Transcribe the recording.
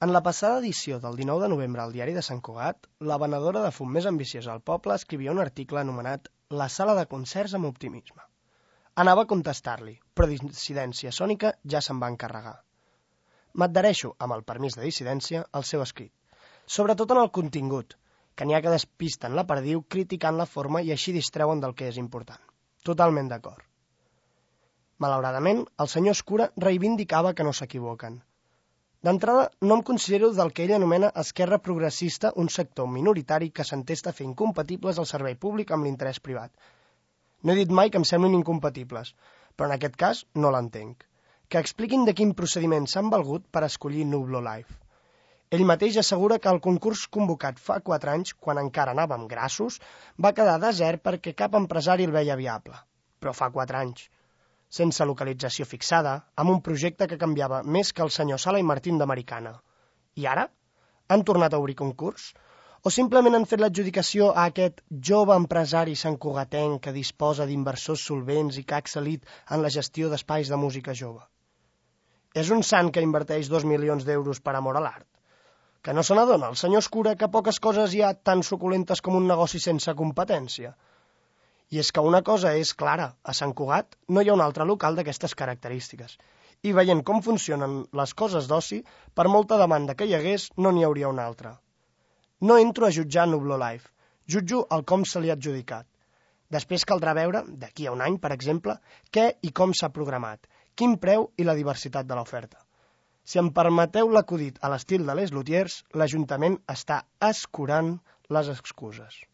En la passada edició del 19 de novembre al diari de Sant Cugat, la venedora de fum més ambiciosa al poble escrivia un article anomenat «La sala de concerts amb optimisme». Anava a contestar-li, però Dissidència Sònica ja se'n va encarregar. M'adhereixo, amb el permís de Dissidència, al seu escrit, sobretot en el contingut, que n'hi ha que despisten la perdiu criticant la forma i així distreuen del que és important. Totalment d'acord. Malauradament, el senyor Escura reivindicava que no s'equivoquen. D'entrada, no em considero del que ell anomena esquerra progressista un sector minoritari que s'entesta a fer incompatibles el servei públic amb l'interès privat. No he dit mai que em semblin incompatibles, però en aquest cas no l'entenc. Que expliquin de quin procediment s'han valgut per escollir Nublo Live. Ell mateix assegura que el concurs convocat fa 4 anys, quan encara anàvem grassos, va quedar desert perquè cap empresari el veia viable. Però fa 4 anys. Sense localització fixada, amb un projecte que canviava més que el senyor Sala i Martín d'Americana. I ara? Han tornat a obrir concurs? O simplement han fet l'adjudicació a aquest jove empresari santcugatenc que disposa d'inversors solvents i que ha excel·lit en la gestió d'espais de música jove? És un sant que inverteix 2 milions d'euros per amor a l'art? Que no se n'adona el senyor Escura que poques coses hi ha tan suculentes com un negoci sense competència? I és que una cosa és clara, a Sant Cugat no hi ha un altre local d'aquestes característiques. I veient com funcionen les coses d'oci, per molta demanda que hi hagués, no n'hi hauria una altra. No entro a jutjar Nublo Live, jutjo el com se li ha adjudicat. Després caldrà veure, d'aquí a un any, per exemple, què i com s'ha programat, quin preu i la diversitat de l'oferta. Si em permeteu l'acudit a l'estil de Les Lutiers, l'Ajuntament està escurant les excuses.